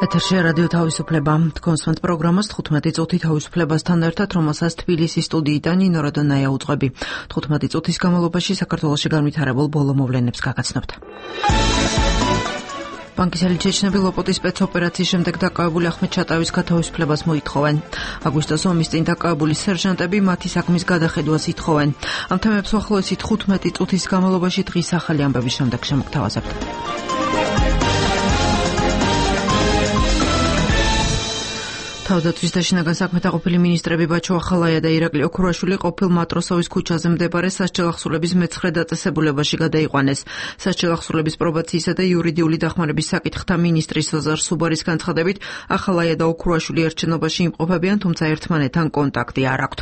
ეთერში რადიო თავისუფლება. კონსვენტ პროგრამას 15 წუთი თავისუფლებასთან ერთად, რომელსაც თბილისის სტუდიიდან ნინო როდონაია უძღვები. 15 წუთის განმავლობაში საქართველოში განვითარებულ ბოლო მოვლენებს გაგაცნობთ. ბანკისელი ჩეჩნები ლოპოტის სპეცოპერაციის შემდეგ დაკავებული ახმედ ჩატაევის გათავისუფლებას მოითხოვენ. აგვისტოს ომის წინ დაკავებული სერჟანტები მათი საქმის გადახედვას ითხოვენ. ამ თემებს უახლოესი 15 წუთის განმავლობაში დღის ახალი ამბების შემდეგ შემოგთავაზებთ. თავდაცვის და შინაგან საქმეთა ყოფილი მინისტრები ბაჩო ახალაია და ირაკლი ოქრუაშვილი ყოფილ მატროსოვის ქუჩაზე მდებარე სასჯელახსრულების მე-9 დაწესებულებაში გადაიყვანეს. სასჯელახსრულების პრობაციისა და იურიდიული დახმარების საკითხთა მინისტრის ოზარ სუბარის განცხადებით, ახალაია და ოქრუაშვილი ერთ შენობაში იმყოფებიან, თუმცა ერთმანეთთან კონტაქტი არ აქვთ.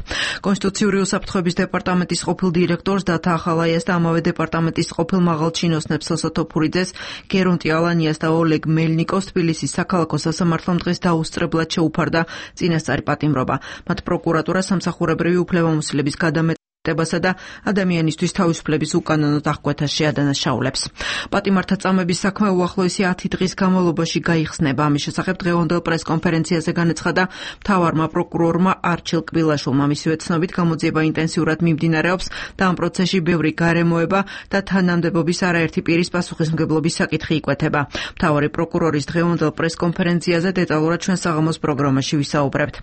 კონსტიტუციური უსაფრთხოების დეპარტამენტის ყოფილ დირექტორს დათა ახალაიას და ამავე დეპარტამენტის ყოფილ მაღალჩინოსნებს სოსო თოფურიძეს, გერონტი ალანიას და ოლეგ მელნიკოს თბილისის საქალაქო სასამართლომ დღეს დაუსწრებლად შეუფარდა წინასწარი პატიმრობა. მათ პროკურატურა სამსახურებრივი უფლებამოსილების გადამეტებასა და ადამიანისთვის თავისუფლების უკანონო დახკვეთას შეადანაშაულებს. პატიმართა წამების საქმე უახლოესი 10 დღის განმავლობაში გაიხსნება. ამის შესახებ დღევანდელ პრესკონფერენციაზე განაცხადა მთავარმა პროკურორმა არჩილ კბილაშვილმა. მისივე ცნობით გამოძიება ინტენსიურად მიმდინარეობს და ამ პროცესში ბევრი გარემოება და თანამდებობის არაერთი პირის პასუხისმგებლობის საკითხი იკვეთება. მთავარი პროკურორის დღევანდელ პრესკონფერენციაზე დეტალურად ჩვენ საღამოს პროგრამაში ვისაუბრებთ.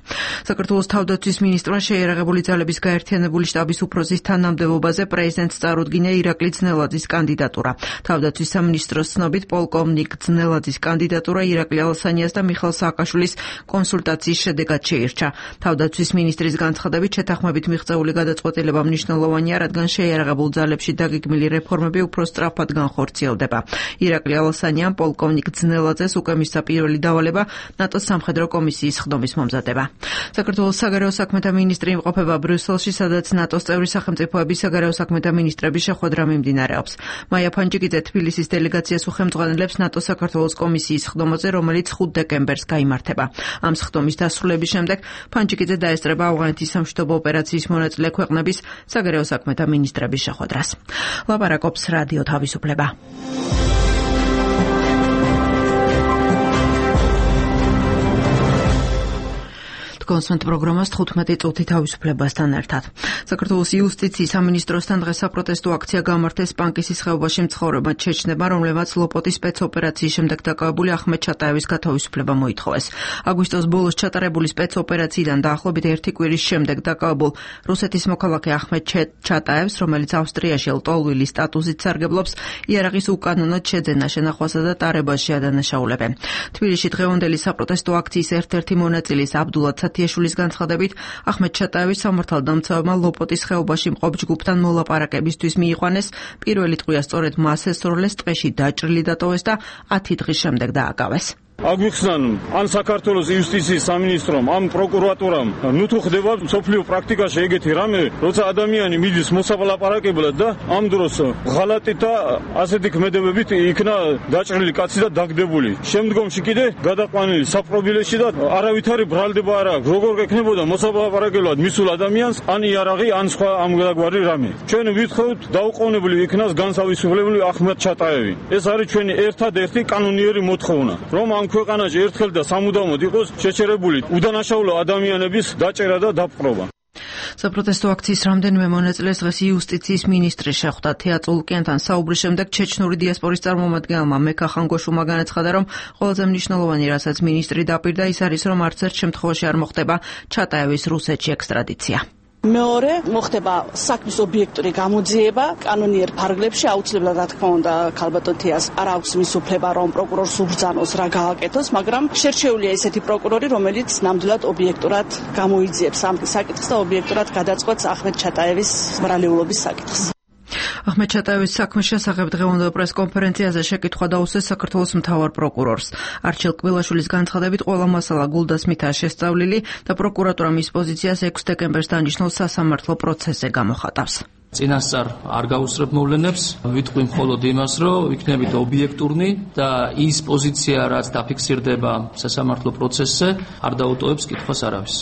საქართველოს თავდაცვის მინისტრმა შეიარაღებული ძალების გაერთიანებული შტაბის უფროსის თანამდებობაზე პრეზიდენტს წარუდგინა ირაკლი ძნელაძის კანდიდატურა. თავდაცვის სამინისტროს ცნობით პოლკოვნიკ ძნელაძის კანდიდატურა ირაკლი ალასანიას და მიხელ სააკაშვილის კონსულტაციის შედეგად შეირჩა. თავდაცვის მინისტრის განცხადებით შეთანხმებით მიღწეული გადაწყვეტილება მნიშვნელოვანია, რადგან შეიარაღებულ ძალებში დაგეგმილი რეფორმები უფრო სწრაფად განხორციელდება. ირაკლი ალასანიამ პოლკოვნიკ ძნელაძეს უკვე მისცა პირველი დავალება ნატოს სამხედრო კომისიის ხდომის მომზადება. საქართველოს საგარეო საქმეთა მინისტრი იმყოფება ბრიუსელში, სადაც ნატოს წევრი სახელმწიფოების საგარეო საქმეთა მინისტრების შეხვედრა მიმდინარეობს. მაია ფანჯიკიძე თბილისის დელეგაციას უხელმძღვანელებს ნატოს საქართველოს კომისიის ხდომაზე, რომელიც 5 დეკემბერს გაიმართება. ამ ხდომის დასრულების შემდეგ ფანჯიკიძე დაესწრება ავღანეთის სამშვიდობო ოპერაციის მონაწილე ქვეყნების საგარეო საქმეთა მინისტრების შეხვედრას. ლაპარაკობს რადიო თავისუფლება. კონსვენტ პროგრამას 15 წუთი თავისუფლებასთან ერთად. საქართველოს იუსტიციის სამინისტროსთან დღეს საპროტესტო აქცია გამართეს პანკისის ხეობაში მცხოვრებმა ჩეჩნებმა, რომლებმაც ლოპოტის სპეცოპერაციის შემდეგ დაკავებული ახმედ ჩატაევის გათავისუფლება მოითხოვეს. აგვისტოს ბოლოს ჩატარებული სპეცოპერაციიდან დაახლოებით 1 კვირის შემდეგ დაკავებულ რუსეთის მოქალაქე ახმედ ჩატაევს, რომელიც ავსტრიაში ლტოლვილის სტატუსით სარგებლობს, იარაღის უკანონოდ შეძენა, შენახვასა და ტარებას შეადანაშაულებენ. თბილისში დღევანდელი საპროტესტო აქციის ერთ-ერთი მონაწილის აბდულად შულის განცხადებით, ახმედ ჩატაევის სამართალდამცავმა ლოპოტის ხეობაში მყოფ ჯგუფთან მოლაპარაკებისთვის მიიყვანეს. პირველი ტყვია სწორედ მას ესროლეს, ტყეში დაჭრილი დატოვეს და 10 დღის შემდეგ დააკავეს. აგვიხსნან ან საქართველოს იუსტიციის სამინისტრომ, ამ პროკურატურამ, თუ ხდება სოფლიო პრაქტიკაში ეგეთი რამე, როცა ადამიანი მიდის მოსაპარაკებლად და ამ დროს ღალატით და ასეთი ქმედებებით იქნა დაჭრილი კაცი და დაგდებული. შემდგომში კიდე გადაყვანილი საპრობილეში და არავითარი ბრალდება არ აქვს. როგორ გექნებოდა მოსაპარაკებლად მისულ ადამიანს, ან იარაღი, ან სხვა ამგვარი რამე. ჩვენ ვითხოვთ დაუყოვნებლივ იქნას განსავისუფლებელი ახმედ ჩატაევი. ეს არის ჩვენი ერთადერთი კანონიერი მოთხოვნა, რომ ამ ქვეყანაში ერთხელ და სამუდამოდ იყოს შეჩერებული უდანაშაულო ადამიანების დაჭერა და დაპყრობა. საპროტესტო აქციის რამდენიმე მონაწილეს დღეს იუსტიციის მინისტრი შეხვდა. თეატრ ლუკიანთან საუბრის შემდეგ ჩეჩნური დიასპორის წარმომადგენელმა მეკა ხანგოშუმა განაცხადა, რომ ყველაზე მნიშვნელოვანი, რასაც მინისტრი დაპირდა, ის არის, რომ არც ერთ შემთხვევაში არ მოხდება ჩატაევის რუსეთში ექსტრადიცია. მეორე მოხდება საქმის ობიექტური გამოძიება კანონიერ ფარგლებში, აუცილებლად რა თქმა უნდა ქალბატონ თეას არ აქვს მის უფლება რომ პროკურორს უბრძანოს რა გააკეთოს, მაგრამ შერჩეულია ესეთი პროკურორი, რომელიც ნამდვილად ობიექტურად გამოიძიებს ამ საკითხს და ობიექტურად გადაწყვეტს ახმედ ჩატაევის ბრალეულობის საკითხს. ახმედ ჩატაევის საქმის შესახებ დღევანდელ პრესკონფერენციაზე შეკითხვა დაუსვეს საქართველოს მთავარ პროკურორს. არჩილ კბილაშვილის განცხადებით, ყველა მასალა გულდასმითაა შესწავლილი და პროკურატურა მის პოზიციას 6 დეკემბერს დანიშნულ სასამართლო პროცესზე გამოხატავს. წინასწარ არ გაუსწრებ მოვლენებს, ვიტყვი მხოლოდ იმას, რომ იქნებით ობიექტურნი და ის პოზიცია, რაც დაფიქსირდება სასამართლო პროცესზე, არ დაუტოვებს კითხვას არავის.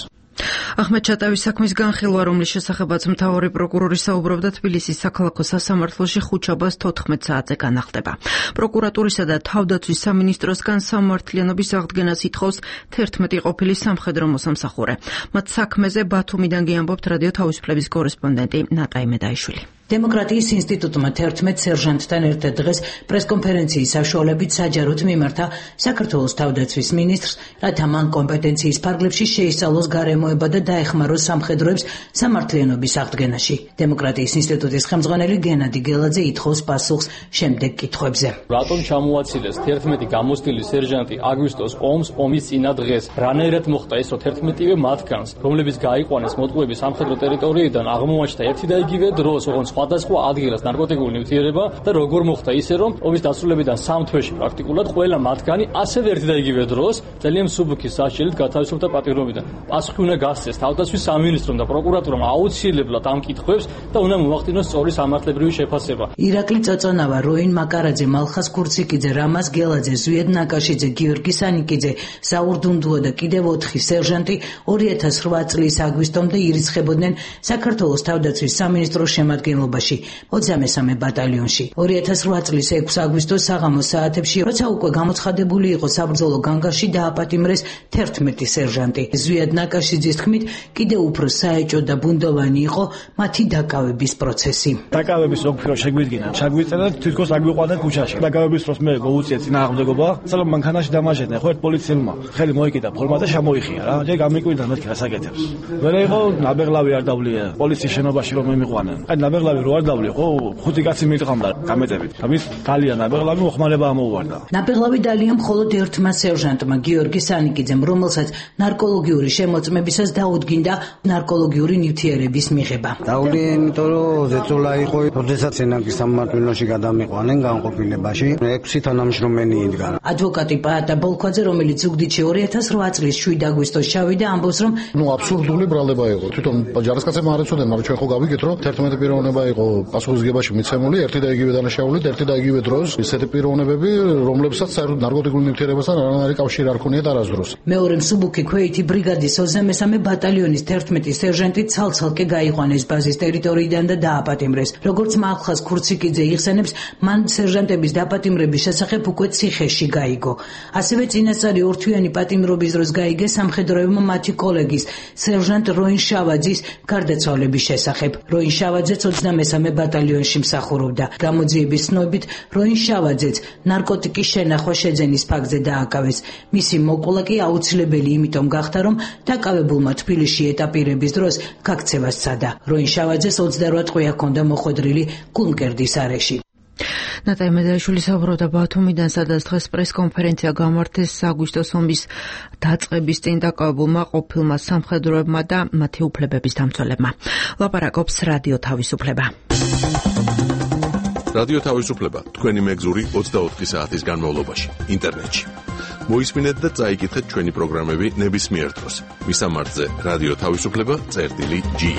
ახმედ ჩატავის საქმის განხილვა, რომლის შესახებაც მთავარი პროკურორი საუბრობდა თბილისის საქალაქო სასამართლოში ხუთშაბათს 14 საათზე განახლდება. პროკურატურისა და თავდაცვის სამინისტროსგან სამართლიანობის აღდგენას ითხოვს 11 ყოფილი სამხედრო მოსამსახურე. მათ საქმეზე ბათუმიდან გიამბობთ რადიო თავისუფლების კორესპონდენტი ნატა იმედაიშვილი. დემოკრატიის ინსტიტუტმა 11 სერჟანტთან ერთად დღეს პრესკონფერენციის საშუალებით საჯაროდ მიმართა საქართველოს თავდაცვის მინისტრს, რათა მან კომპეტენციის ფარგლებში შეისწავლოს გარემოება და დაეხმაროს სამხედროებს სამართლიანობის აღდგენაში. დემოკრატიის ინსტიტუტის ხელმძღვანელი გენადი გელაძე ითხოვს პასუხს შემდეგ კითხვებზე. რატომ ჩამოაცილეს 11 გამოცდილი სერჟანტი აგვისტოს ომს ომის წინა დღეს? რანაირად მოხდა ეს, რომ 11-ვე მათგანს, რომლებიც გაიყვანეს მოტყუები სამხედრო ტერიტორიიდან, აღმოაჩნდა ერთი და იგივე დროს, ოღონდ სხვადასხვა ადგილას ნარკოტიკული ნივთიერება და როგორ მოხდა ისე, რომ ომის დასრულებიდან 3 თვეში პრაქტიკულად ყველა მათგანი ასევე ერთი და იგივე დროს ძალიან მსუბუქი სასჯელით გათავისუფლდა პატიმრობიდან. პასუხი უნდა გასცეს თავდაცვის სამინისტრომ და პროკურატურამ აუცილებლად ამ კითხვებს და უნდა მოახდინოს სწორი სამართლებრივი შეფასება. ირაკლი წოწონავა, როინ მაკარაძე, მალხას კურციკიძე, რამაზ გელაძე, ზვიედ ნაკაშიძე, გიორგი სანიკიძე, ზაურ დუნდუა და კიდევ 4 სერჟანტი 2008 წლის აგვისტომდე ირიცხებოდნენ საქართველოს თავდაცვის სამინისტროს შემადგენლობაში 23 ბატალიონში. 2008 წლის 6 აგვისტოს საღამოს საათებში, როცა უკვე გამოცხადებული იყო საბრძოლო განგაში, დააპატიმრეს 11 სერჟანტი. ზვიად ნაკაშიძის თქმით, კიდევ უფრო საეჭო და ბუნდოვანი იყო მათი დაკავების პროცესი. დაკავების ოქრო შეგვიდგინა, ჩაგვიწერა თვითონ აგვიყვანა ქუჩაში. დაკავების დროს მე გოუწია წინააღმდეგობა, სულ მანქანაში დამაჟედნენ, ხო ერთ პოლიციელმა ხელი მოიკიდა ფორმა და შემოიხია რა. ჯერ გამიკვირდა მეთქი რასაკეთებს. მერე იყო ნაბეღლავი არ დავლია პოლიციის შენობაში რომ მემიყვანენ. აი ნაბეღლავი რო არ დავლია, ხო 5 კაცი მიტყამდა გამეტებით. ამის დალია ნაბეღლავი მოხმარება ამოუვარდა. ნაბეღლავი დალია მხოლოდ ერთმა სერჟანტმა გიორგი სანიკიძემ, რომელსაც ნარკოლოგიური შემოწმებისას დაუდგინდა ნარკოლოგიური ნივთიერების მიღება. დაუდი, იმიტომ რომ ზეწოლა იყო, როდესაც ენაკის სამმართველოში გადამიყვანენ განყოფილებაში, 6 თანამშრომელი იდგა. ადვოკატი პაატა ბოლქვაძე, რომელიც ზუგდიდში 2008 წლის 7 აგვისტოს ჩავიდა, ამბობს, რომ აბსურდული ბრალდება იყო. თვითონ ჯარისკაცებმა არ ეცოდნენ, მაგრამ ჩვენ ხო გავიგეთ, რომ 11 პიროვნება იყო პასუხისგებაში მიცემული, ერთი და იგივე დანაშაულით, ერთი და იგივე დროს, ისეთი პიროვნებები, რომლებსაც საერთოდ ნარკოტიკული ნივთიერებასთან არანაირი კავშირი არ ქონიათ არასდროს. მეორე მსუბუქი ქვეითი ბრიგადის 23 ბატალიონის 11 სერჟანტი ცალ-ცალკე გაიყვანეს ბაზის ტერიტორიიდან და დააპატიმრეს. როგორც მალხას კურციკიძე იხსენებს, მან სერჟანტების დაპატიმრების შესახებ უკვე ციხეში გაიგო. ასევე წინასწარი ორთვიანი პატიმრობის დროს გაიგეს სამხედროებმა მათი კოლეგის, სერჟანტ როინ შავაძის გარდაცვალების შესახებ. როინ შავაძეც 23 ბატალიონში მსახურობდა. გამოძიების ცნობით, როინ შავაძეც ნარკოტიკის შენახვა შეძენის ფაქტზე დააკავეს. მისი მოკლა კი აუცილებელი იმიტომ გახდა, რომ დაკავებულმა თბილისში ეტაპირების დროს გაქცევა სცადა. როინ შავაძეს 28 ტყვია ჰქონდა მოხვედრილი გულმკერდის არეში. ნატა იმედაიშვილი საუბრობდა ბათუმიდან, სადაც დღეს პრესკონფერენცია გამართეს აგვისტოს ომის დაწყების წინ დაკავებულმა ყოფილმა სამხედროებმა და მათი უფლებების დამცველებმა. ლაპარაკობს რადიო თავისუფლება. რადიო თავისუფლება, თქვენი მეგზური 24 საათის განმავლობაში, ინტერნეტში. მოისმინეთ და წაიკითხეთ ჩვენი პროგრამები ნებისმიერ დროს. მისამართზე რადიო თავისუფლება.ge.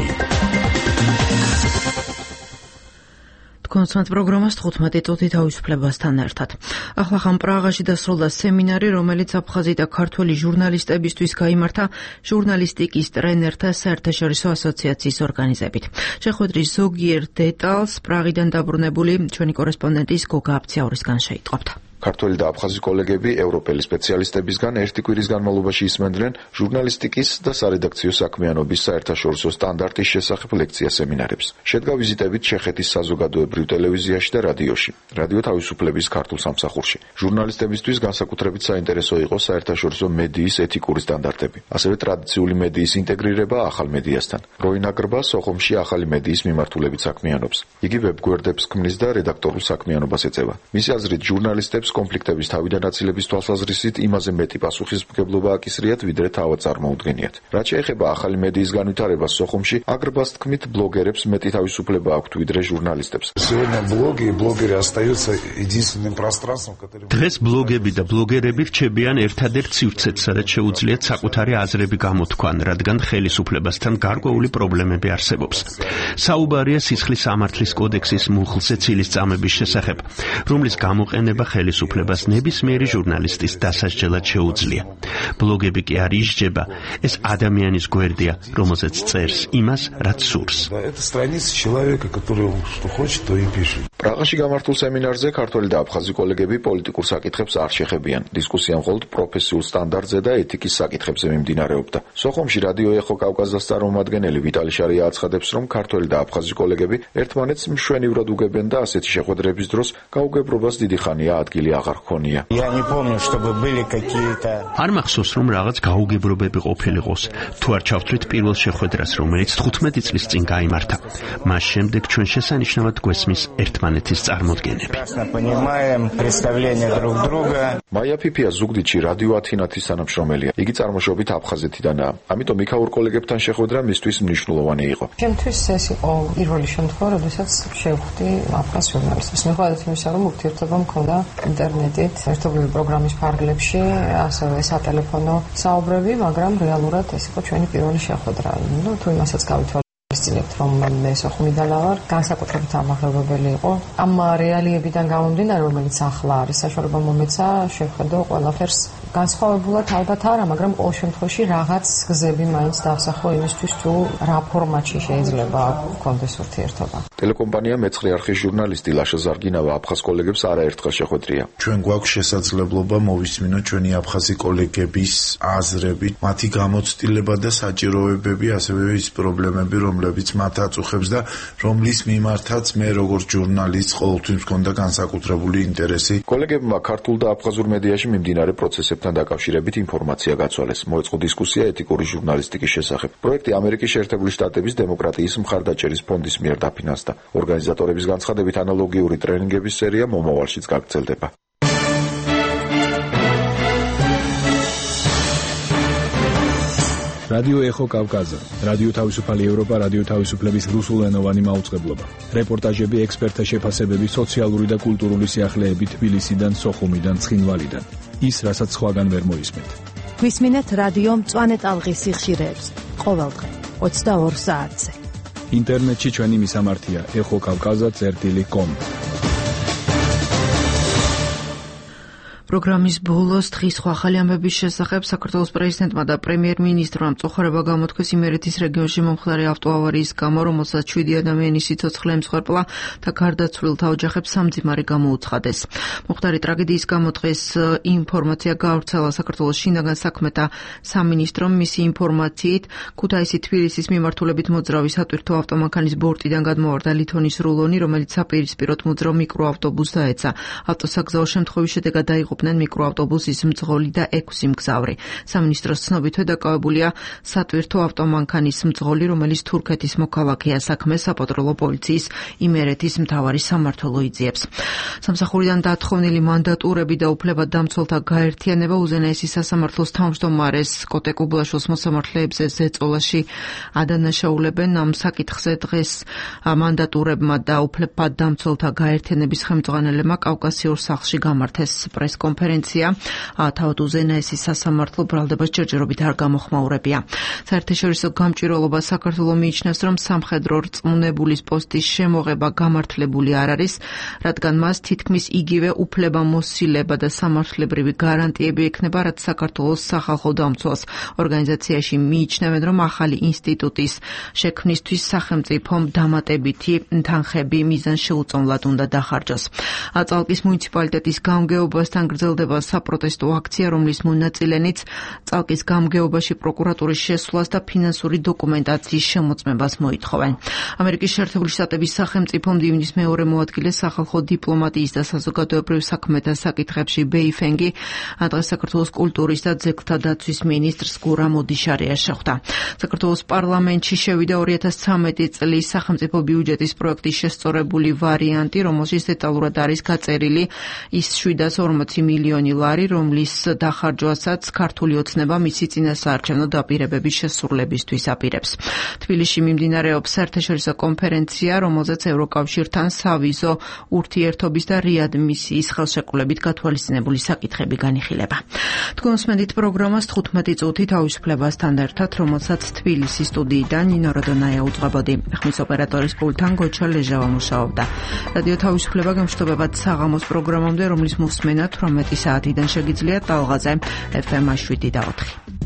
კონსტანტ პროგრამას 15 წუთი თავისუფლებასთან ერთად. ახლა ხან პრაღაში დასრულდა სემინარი, რომელიც აფხაზი და ქართველი ჟურნალისტებისთვის გაიმართა ჟურნალისტიკის ტრენერთა საერთაშორისო ასოციაციის ორგანიზებით. შეხვედრის ზოგიერთ დეტალს პრაღიდან დაბრუნებული ჩვენი კორესპონდენტის გოგა აფციაურისგან შეიტყობთ. ქართველი და აფხაზი კოლეგები ევროპელი სპეციალისტებისგან ერთი კვირის განმავლობაში ისმენდნენ ჟურნალისტიკის და სარედაქციო საქმიანობის საერთაშორისო სტანდარტის შესახებ ლექცია სემინარებს. შედგა ვიზიტებით ჩეხეთის საზოგადოებრივ ტელევიზიაში და რადიოში, რადიო თავისუფლების ქართულ სამსახურში. ჟურნალისტებისთვის განსაკუთრებით საინტერესო იყო საერთაშორისო მედიის ეთიკური სტანდარტები, ასევე ტრადიციული მედიის ინტეგრირება ახალ მედიასთან. როინ აგრბა სოხუმში ახალი მედიის მიმართულებით საქმიანობს. იგი ვებგვერდებს ქმნის და რედაქტორულ საქმიანობას ეწევა. მისი აზრით, ჟურნალისტებს კონფლიქტების თავიდან აცილების თვალსაზრისით იმაზე მეტი პასუხისმგებლობა აკისრიათ, ვიდრე თავად წარმოუდგენიათ. რაც შეეხება ახალი მედიის განვითარებას სოხუმში, აგრბას თქმით, ბლოგერებს მეტი თავისუფლება აქვთ, ვიდრე ჟურნალისტებს. დღეს ბლოგები და ბლოგერები რჩებიან ერთადერთ სივრცეც, სადაც შეუძლიათ საკუთარი აზრები გამოთქვან, რადგან ხელისუფლებასთან გარკვეული პრობლემები არსებობს. საუბარია სისხლის სამართლის კოდექსის მუხლზე ცილისწამების შესახებ, რომლის გამოყენება ხელისუფლებას თავისუფლებას ნებისმიერი ჟურნალისტის დასასჯელად შეუძლია. ბლოგები კი არ ისჯება, ეს ადამიანის გვერდია, რომელზეც წერს იმას, რაც სურს. პრაღაში გამართულ სემინარზე ქართველი და აფხაზი კოლეგები პოლიტიკურ საკითხებს არ შეხებიან. დისკუსია მხოლოდ პროფესიულ სტანდარტზე და ეთიკის საკითხებზე მიმდინარეობდა. სოხუმში რადიო ეხო კავკასიის წარმომადგენელი ვიტალი შარია აცხადებს, რომ ქართველი და აფხაზი კოლეგები ერთმანეთს მშვენივრად უგებენ და ასეთი შეხვედრების დროს გაუგებრობას დიდი ხანია ადგილი აღარ ჰქონია. არ მახსოვს, რომ რაღაც გაუგებრობები ყოფილიყოს. თუ არ ჩავთვლით პირველ შეხვედრას, რომელიც 15 წლის წინ გაიმართა. მას შემდეგ ჩვენ შესანიშნავად გვესმის ერთმანეთის წარმოდგენები. მაია ფიფია ზუგდიდში რადიო ათინათის თანამშრომელია. იგი წარმოშობით აფხაზეთიდანაა. ამიტომ იქაურ კოლეგებთან შეხვედრა მისთვის მნიშვნელოვანი იყო. ჩემთვის ეს იყო პირველი შემთხვევა, როდესაც შევხვდი აფხაზ ჟურნალისტებს. მიუხედავად იმისა, რომ ურთიერთობა მქონდა ინტერნეტით, ერთობლივი პროგრამის ფარგლებში, ასევე სატელეფონო საუბრები, მაგრამ რეალურად ეს იყო ჩვენი პირველი შეხვედრა. თუ იმასაც გავითვალისწინებთ, რომ მე სოხუმიდან ვარ, განსაკუთრებით ამაღლებებელი იყო. ამ რეალიებიდან გამომდინარე, რომელიც ახლა არის, საშუალება მომეცა შევხედო ყველაფერს განსხვავებულად ალბათ არა, მაგრამ ყოველ შემთხვევაში რაღაც გზები მაინც დავსახო იმისთვის, თუ რა ფორმატში შეიძლება გქონდეს ურთიერთობა. ტელეკომპანია მეცხრე არხის ჟურნალისტი ლაშა ზარგინავა აფხაზ კოლეგებს არაერთხელ შეხვედრია. ჩვენ გვაქვს შესაძლებლობა მოვისმინოთ ჩვენი აფხაზი კოლეგების აზრები, მათი გამოცდილება და საჭიროებები, ასევე ის პრობლემები, რომლებიც მათ აწუხებს და რომლის მიმართაც მე როგორც ჟურნალისტ ყოველთვის მქონდა განსაკუთრებული ინტერესი. კოლეგებმა ქართულ და აფხაზურ მედიაში მიმდინარე პროცესებთან დაკავშირებით ინფორმაცია გაცვალეს. მოეწყო დისკუსია ეთიკური ჟურნალისტიკის შესახებ. პროექტი ამერიკის შეერთებული შტატების დემოკრატიის მხარდაჭერის ფონდის მიერ დაფინანსდა. ორგანიზატორების განცხადებით ანალოგიური ტრენინგების სერია მომავალშიც გაგრძელდება. რადიო ეხო კავკასია, რადიო თავისუფალი ევროპა, რადიო თავისუფლების რუსულენოვანი მაუწყებლობა. რეპორტაჟები, ექსპერტთა შეფასებები, სოციალური და კულტურული სიახლეები თბილისიდან, სოხუმიდან, ცხინვალიდან. ის, რასაც სხვაგან ვერ მოისმენთ. გვისმინეთ რადიო მწვანე ტალღის სიხშირეებს ყოველდღე 22 საათზე. ინტერნეტში ჩვენი მისამართია ეხოკავკაზა.com. პროგრამის ბოლოს დღის ახალი ამბების შესახებ საქართველოს პრეზიდენტმა და პრემიერ-მინისტრმა მწუხარება გამოთქვეს იმერეთის რეგიონში მომხდარი ავტოავარიის გამო, რომელსაც 7 ადამიანის სიცოცხლე ემსხვერპლა და გარდაცვლილთა ოჯახებს სამძიმარი გამოუცხადეს. მომხდარი ტრაგედიის გამო დღეს ინფორმაცია გაავრცელა საქართველოს შინაგან საქმეთა სამინისტრომ. მისი ინფორმაციით, ქუთაისი-თბილისის მიმართულებით მოძრავი სატვირთო ავტომანქანის ბორტიდან გადმოვარდა ლითონის რულონი, რომელიც საპირისპიროდ მოძრავ მიკროავტობუსს დაეცა. ავტოსაგზაო შემთხვევის შედეგად დაიღუპნენ მიკროავტობუსის მძღოლი და 6 მგზავრი. სამინისტროს ცნობით დაკავებულია სატვირთო ავტომანქანის მძღოლი, რომელიც თურქეთის მოქალაქეა. საქმეს საპატრულო პოლიციის იმერეთის მთავარი სამმართველო იძიებს. სამსახურიდან დათხოვნილი მანდატურები და უფლებადამცველთა გაერთიანება უზენაესი სასამართლოს თავმჯდომარეს კოტე კუბლაშვილს მოსამართლეებზე ზეწოლაში ადანაშაულებენ. ამ საკითხზე დღეს მანდატურებმა და უფლებადამცველთა გაერთიანების ხელმძღვანელებმა კავკასიურ სახლში გამართეს პრესკონფერენცია. თავად უზენაესი სასამართლო ბრალდებას ჯერჯერობით არ გამოხმაურებია. საერთაშორისო გამჭვირვალობა საქართველოს მიიჩნევს, რომ სამხედრო რწმუნებულის პოსტის შემოღება გამართლებული არ არის, რადგან მას თითქმის იგივე უფლებამოსილება და სამართლებრივი გარანტიები ექნება, რაც საქართველოს სახალხო დამცველს. ორგანიზაციაში მიიჩნევენ, რომ ახალი ინსტიტუტის შექმნისთვის სახელმწიფომ დამატებითი თანხები მიზანს შეუწონლად უნდა დახარჯოს. წალკის მუნიციპალიტეტის გამგეობასთან გრძელდება საპროტესტო აქცია, რომლის მონაწილენიც წალკის გამგეობაში პროკურატურის შესვლას და ფინანსური დოკუმენტაციის შემოწმებას მოითხოვენ. ამერიკის შეერთებული შტატების სახელმწიფო მდივნის მეორე მოადგილე სახალხო დიპლომატიის და საზოგადოებრივ საქმეთა საკითხებში ბეი ფენგი დღეს საქართველოს კულტურის და ძეგლთა დაცვის მინისტრს გურა მოდიშარიას შეხვდა. საქართველოს პარლამენტში შევიდა 2013 წლის სახელმწიფო ბიუჯეტის პროექტის შესწორებული ვარიანტი, რომელშიც დეტალურად არის გაწერილი ის 740 მილიონი ლარი, რომლის დახარჯვასაც ქართული ოცნება მისი წინასაარჩევნო დაპირებების შესრულებისთვის აპირებს. თბილისში მიმდინარეობს საერთაშორისო კონფერენცია, რომელზეც ევროკავშირთან სავიზო ურთიერთობის და რეადმისიის ხელშეკრულებით გათვალისწინებული საკითხები განიხილება. თქვენსმენდით პროგრამას 15 წუთი თავისუფლებასთან ერთად, რომელსაც თბილისის სტუდიიდან ნინო როდონაია უძღვებოდი. ხმის ოპერატორის პულტთან გოჩა ლეჟავა მუშაობდა. რადიო თავისუფლება გამშვიდობებად საღამოს პროგრამამდე, რომლის მოსმენა 18 საათიდან შეგიძლიათ ტალღაზე FM 7 და 4.